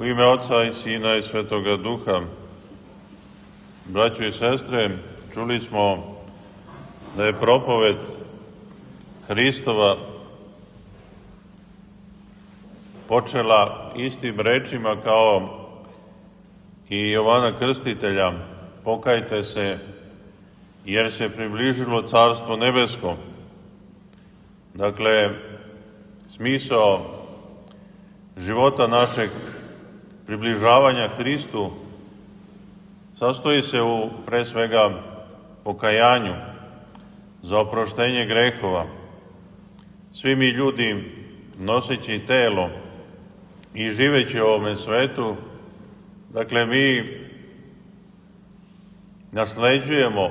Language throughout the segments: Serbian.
U ime Oca i Sina i Svetoga Duha. Braćo i sestre, čuli smo da je propoved Hristova počela istim rečima kao i Jovana Krstitelja: pokajte se, jer se približilo Carstvo nebesko. Dakle, smisao života našeg približavanja Hristu sastoji se u, pre svega, pokajanju za oproštenje grehova. Svi mi ljudi, noseći telo i živeći u ovome svetu, dakle, mi nasleđujemo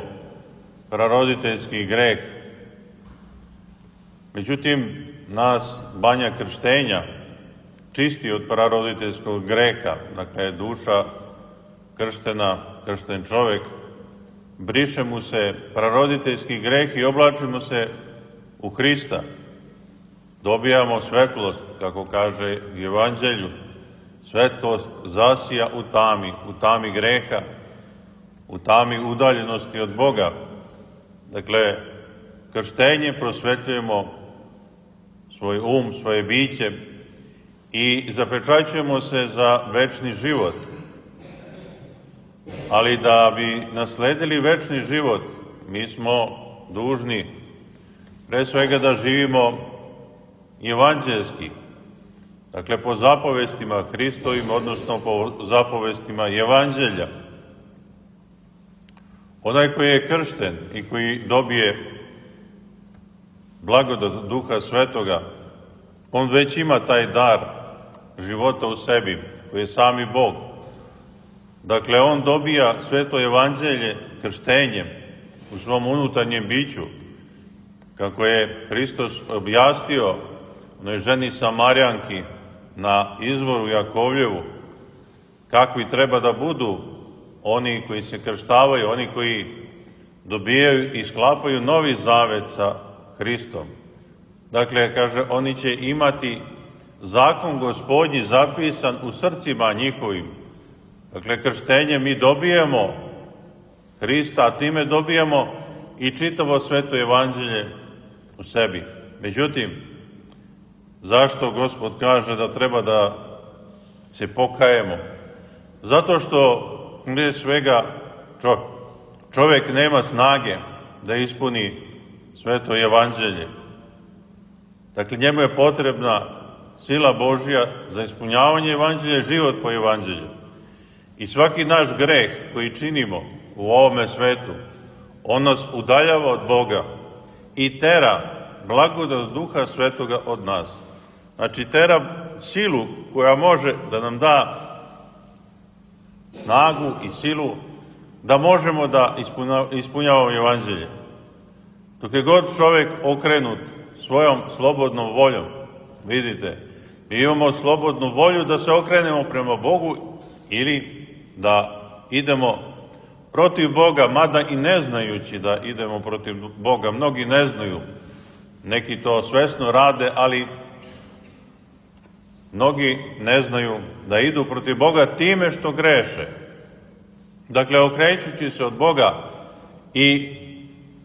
praroditeljski greh. Međutim, nas banja krštenja čisti od praroditeljskog greha, dakle, duša krštena, kršten čovek, briše mu se praroditeljski greh i oblačimo se u Hrista. Dobijamo svetlost, kako kaže u Evanđelju. Svetlost zasija u tami greha, u tami udaljenosti od Boga. Dakle, krštenje prosvetljujemo svoj um, svoje biće i zapečaćujemo se za večni život. Ali da bi nasledili večni život, mi smo dužni pre svega da živimo evanđelski, dakle po zapovestima Hristovim, odnosno po zapovestima Evanđelja. Onaj koji je kršten i koji dobije blagodat Duha Svetoga, on već ima taj dar života u sebi, koji je sami Bog. Dakle, on dobija sveto evanđelje krštenjem u svom unutarnjem biću, kako je Hristos objasnio onoj ženi Samarjanki na izvoru Jakovljevu, kakvi treba da budu oni koji se krštavaju, oni koji dobijaju i sklapaju novi zavet sa Hristom. Dakle, kaže, oni će imati zakon Gospodnji zapisan u srcima njihovim. Dakle, krštenjem mi dobijemo Hrista, a time dobijamo i čitavo sveto evanđelje u sebi. Međutim, zašto Gospod kaže da treba da se pokajemo? Zato što prije svega čovek nema snage da ispuni sveto evanđelje. Dakle, njemu je potrebna sila Božja za ispunjavanje evanđelja, život po evanđelju. I svaki naš greh koji činimo u ovome svetu, on nas udaljava od Boga i tera blagodat Duha Svetoga od nas. Znači, tera silu koja može da nam da snagu i silu da možemo da ispunjavamo evanđelje. Dok je god čovek okrenut svojom slobodnom voljom, vidite, mi imamo slobodnu volju da se okrenemo prema Bogu ili da idemo protiv Boga, mada i ne znajući da idemo protiv Boga. Mnogi ne znaju, neki to svesno rade, ali mnogi ne znaju da idu protiv Boga time što greše. Dakle, okrećući se od Boga i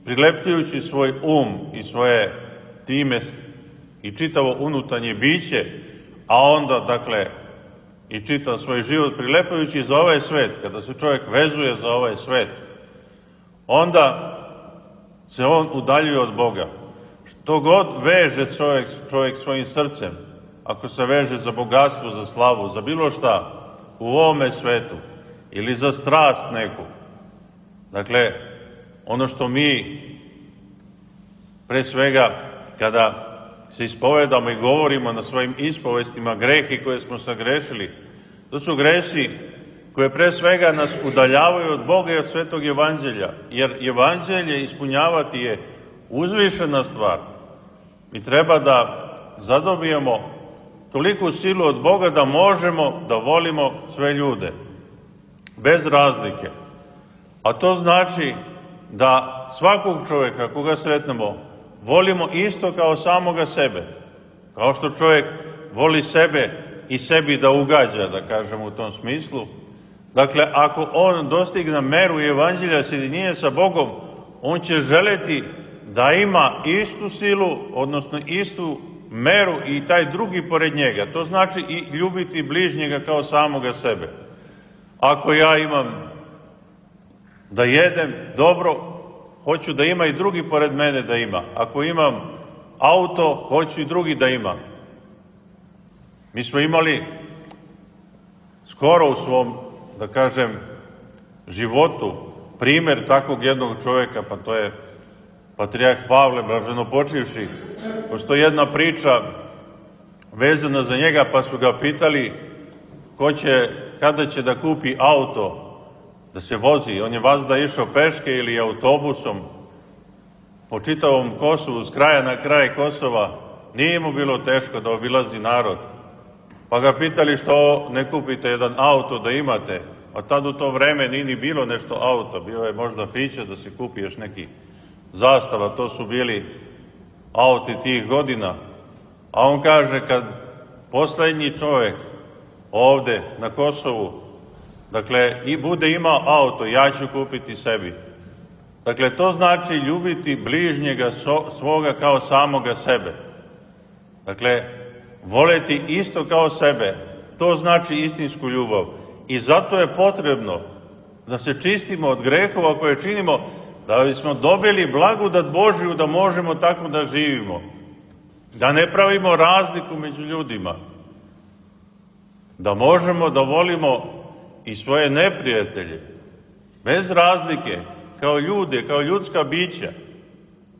prilepljujući svoj um i svoje time i čitavo unutarnje biće, a onda, dakle, i čitav svoj život prilepajući za ovaj svet, kada se čovjek vezuje za ovaj svet, onda se on udaljuje od Boga. Što god veže čovjek svojim srcem, ako se veže za bogatstvo, za slavu, za bilo šta u ovome svetu, ili za strast neku, dakle, ono što mi pre svega kada se ispovedamo i govorimo na svojim ispovestima grehi koje smo sagrešili, to su gresi koje pre svega nas udaljavaju od Boga i od svetog evanđelja, jer evanđelje ispunjavati je uzvišena stvar. Mi treba da zadobijemo toliku silu od Boga da možemo da volimo sve ljude, bez razlike. A to znači da svakog čovjeka koga sretnemo volimo isto kao samoga sebe. Kao što čovjek voli sebe i sebi da ugađa, da kažem u tom smislu. Dakle, ako on dostigne meru evanđelja sjedinjenja sa Bogom, on će želeti da ima istu silu, odnosno istu meru i taj drugi pored njega. To znači i ljubiti bližnjega kao samoga sebe. Ako ja imam da jedem dobro, hoću da ima i drugi pored mene da ima. Ako imam auto, hoću i drugi da ima. Mi smo imali skoro u svom, da kažem, životu primjer takvog jednog čovjeka, pa to je patrijarh Pavle, blaženopočivši. Postoji jedna priča vezana za njega, pa su ga pitali kada će da kupi auto, da se vozi. On je vazda išao peške ili autobusom po čitavom Kosovu, s kraja na kraj Kosova. Nije mu bilo teško da obilazi narod. Pa ga pitali što ne kupite jedan auto da imate. A tad u to vreme nije ni bilo nešto auto. Bio je možda piće da se kupi još neki Zastava. To su bili auti tih godina. A on kaže, kad poslednji čovjek ovde na Kosovu, dakle, i bude imao auto, ja ću kupiti sebi. Dakle, to znači ljubiti bližnjega svoga kao samoga sebe. Dakle, voleti isto kao sebe, to znači istinsku ljubav. I zato je potrebno da se čistimo od grehova koje činimo, da bismo dobili blagodat Božiju da možemo tako da živimo. Da ne pravimo razliku među ljudima. Da možemo da volimo i svoje neprijatelje, bez razlike, kao ljude, kao ljudska bića,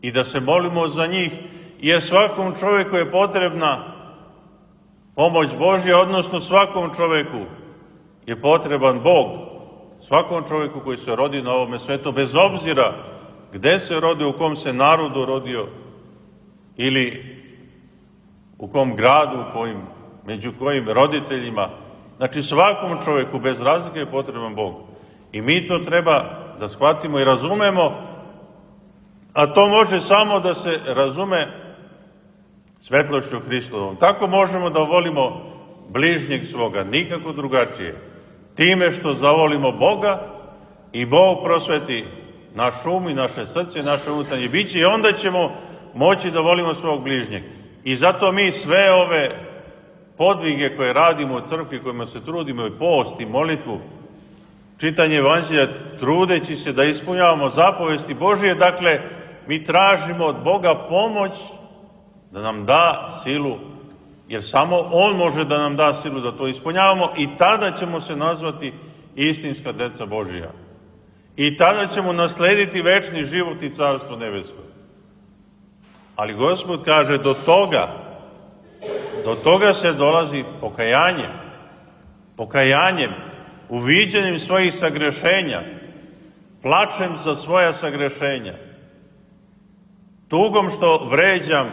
i da se molimo za njih, jer svakom čovjeku je potrebna pomoć Božja, odnosno svakom čovjeku je potreban Bog, svakom čovjeku koji se rodi na ovome svetu, bez obzira gde se rodio, u kom se narodu rodio, ili u kom gradu, među kojim roditeljima. Znači, svakom čovjeku bez razlike je potreban Bog. I mi to treba da shvatimo i razumemo, a to može samo da se razume svetlošću Hristovom. Tako možemo da volimo bližnjeg svoga, nikako drugačije. Time što zavolimo Boga i Bog prosveti naš um i naše srce, naše unutarnje biće, i onda ćemo moći da volimo svog bližnjeg. I zato mi sve ove podvige koje radimo u crkvi, kojima se trudimo, i post i molitvu, čitanje evanđelja, trudeći se da ispunjavamo zapovesti Božije, dakle, mi tražimo od Boga pomoć da nam da silu, jer samo On može da nam da silu da to ispunjavamo, i tada ćemo se nazvati istinska deca Božija. I tada ćemo naslediti večni život i carstvo nebesko. Ali Gospod kaže, do toga se dolazi pokajanjem, uviđanjem svojih sagrešenja, plačem za svoja sagrešenja, tugom što vređam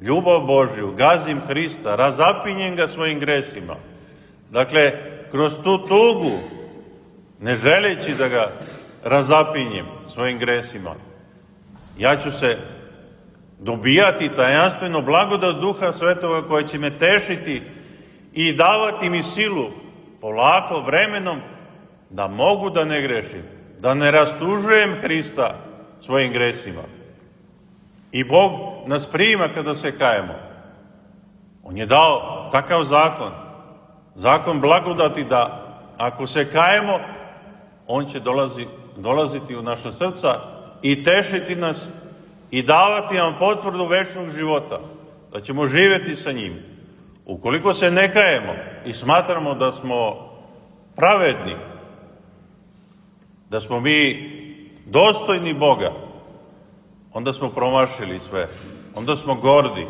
ljubav Božju, gazim Hrista, razapinjem ga svojim gresima. Dakle, kroz tu tugu, ne želeći da ga razapinjem svojim gresima, ja ću se dobijati tajanstveno blagodat Duha Svetoga koja će me tešiti i davati mi silu polako, vremenom, da mogu da ne grešim, da ne rastužujem Hrista svojim gresima. I Bog nas prima kada se kajemo. On je dao takav zakon blagodati, da ako se kajemo, On će dolaziti u naša srca i tešiti nas i davati nam potvrdu večnog života, da ćemo živjeti sa njim. Ukoliko se ne kajemo i smatramo da smo pravedni, da smo mi dostojni Boga, onda smo promašili sve, onda smo gordi,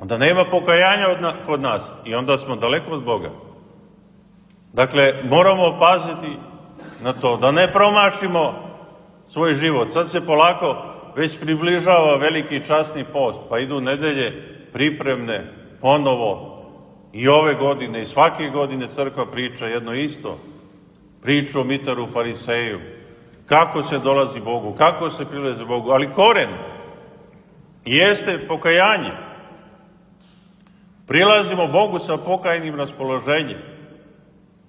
onda nema pokajanja kod nas i onda smo daleko od Boga. Dakle, moramo paziti na to, da ne promašimo svoj život. Sad se polako već približava veliki časni post, pa idu nedelje pripremne ponovo, i ove godine i svake godine crkva priča jedno isto, priču o Mitaru Fariseju, kako se dolazi Bogu, kako se prilazi Bogu, ali koren jeste pokajanje. Prilazimo Bogu sa pokajnim raspoloženjem,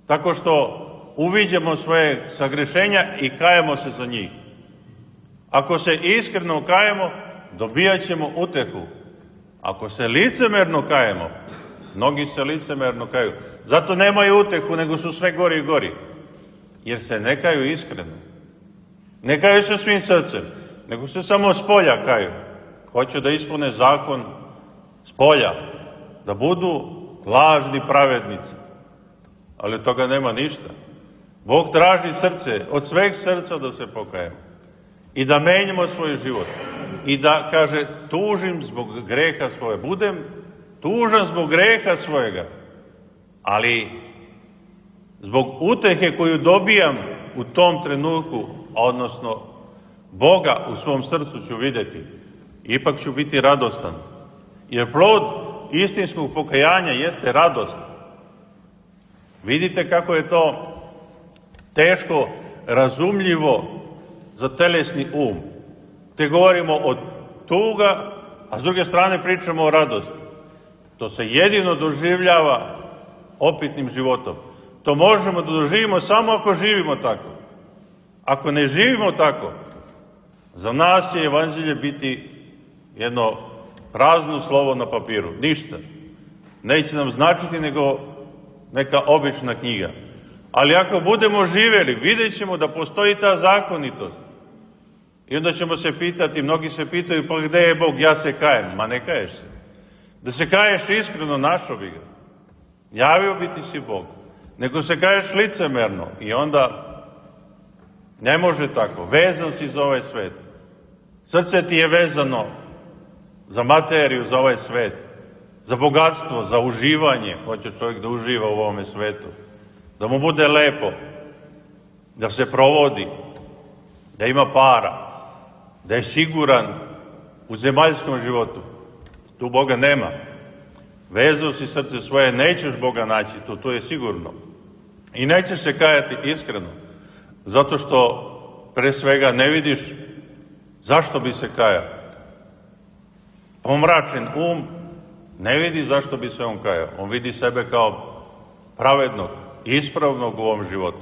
tako što uviđamo svoje sagrešenja i kajemo se za njih. Ako se iskreno kajemo, dobijat ćemo utehu. Ako se licemerno kajemo, mnogi se licemerno kaju, zato nemaju utehu, nego su sve gori i gori, jer se ne kaju iskreno. Ne kaju se svim srcem, nego se samo s polja kaju. Hoće da ispune zakon s polja, da budu lažni pravednici. Ali od toga nema ništa. Bog traži srce, od sveg srca da se pokajemo. I da menjamo svoj život. I da, kaže, tužim zbog greha svoje. Budem tužan zbog greha svojega. Ali zbog utehe koju dobijam u tom trenutku, odnosno Boga u svom srcu ću vidjeti. Ipak ću biti radostan. Jer plod istinskog pokajanja jeste radost. Vidite kako je to teško razumljivo za telesni um. Te govorimo o tuga, a s druge strane pričamo o radosti. To se jedino doživljava opitnim životom. To možemo da doživimo samo ako živimo tako. Ako ne živimo tako, za nas će evanđelje biti jedno prazno slovo na papiru. Ništa. Neće nam značiti nego neka obična knjiga. Ali ako budemo živjeli, vidjet ćemo da postoji ta zakonitost. I onda ćemo se pitati, mnogi se pitaju, pa gde je Bog, ja se kajem. Ma ne kaješ se. Da se kaješ iskreno, našo bi ga. Javio bi ti si Bog. Nego se kaješ licemerno i onda ne može tako. Vezan si za ovaj svet. Srce ti je vezano za materiju, za ovaj svet. Za bogatstvo, za uživanje. Hoće čovjek da uživa u ovome svetu. Da mu bude lepo. Da se provodi. Da ima para. Da je siguran u zemaljskom životu. Tu Boga nema. Vezao si srce svoje, nećeš Boga naći, to je sigurno. I nećeš se kajati iskreno. Zato što pre svega ne vidiš zašto bi se kajao. Pomračen um ne vidi zašto bi se on kajao. On vidi sebe kao pravednog, ispravnog u ovom životu.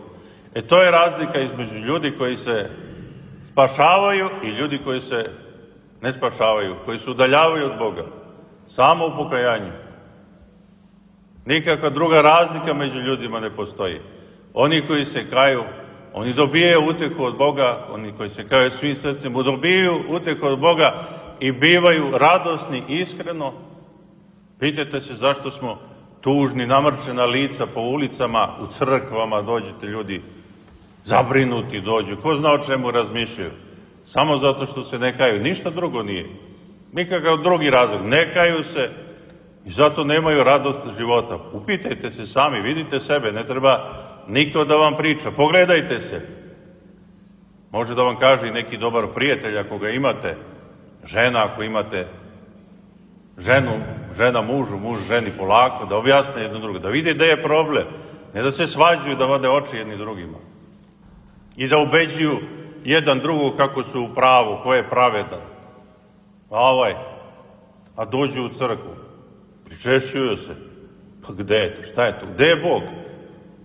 To je razlika između ljudi koji se spašavaju i ljudi koji se ne spašavaju, koji se udaljavaju od Boga. Samo u pokajanju. Nikakva druga razlika među ljudima ne postoji. Oni koji se kaju, oni dobijaju utehu od Boga, oni koji se kaju svim srcem, dobijaju utehu od Boga i bivaju radosni iskreno. Pitajte se zašto smo tužni, namrčena lica po ulicama, u crkvama dođete ljudi, zabrinuti dođu, ko zna o čemu razmišljaju. Samo zato što se ne kaju, ništa drugo nije. Nikakav drugi razlog, ne kaju se i zato nemaju radost života. Upitajte se sami, vidite sebe, ne treba niko da vam priča, pogledajte se. Može da vam kaže i neki dobar prijatelj ako ga imate, žena ako imate ženu, žena mužu, muž ženi polako, da objasne jedno drugo, da vide gde je problem, ne da se svađuju, da vade oči jedni drugima. I da ubeđuju jedan drugog kako su u pravu, ko je pravedan. A dođu u crkvu, pričešćuju se. Pa gde je to? Šta je to? Gde je Bog?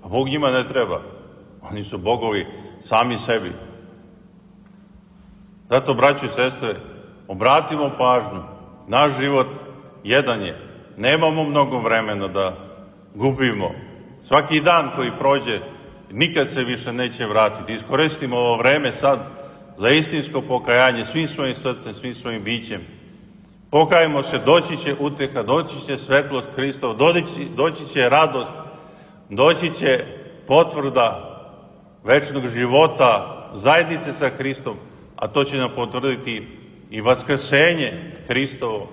A Bog njima ne treba. Oni su bogovi sami sebi. Zato, braćo i sestre, obratimo pažnju. Naš život jedan je. Nemamo mnogo vremena da gubimo. Svaki dan koji prođe, nikad se više neće vratiti. Iskoristimo ovo vreme sad za istinsko pokajanje svim svojim srcem, svim svojim bićem. Pokajemo se, doći će uteha, doći će svetlost Hristova, doći će radost, doći će potvrda večnog života, zajednice sa Hristom, a to će nam potvrditi i vaskrsenje Hristovo.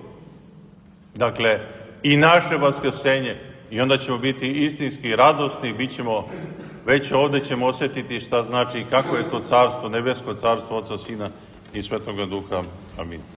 Dakle, i naše vaskrsenje, i onda ćemo biti istinski radosni, bit ćemo, već ovde ćemo osjetiti šta znači i kako je to carstvo, nebesko carstvo Oca, Sina i Svetoga Duha. Amin.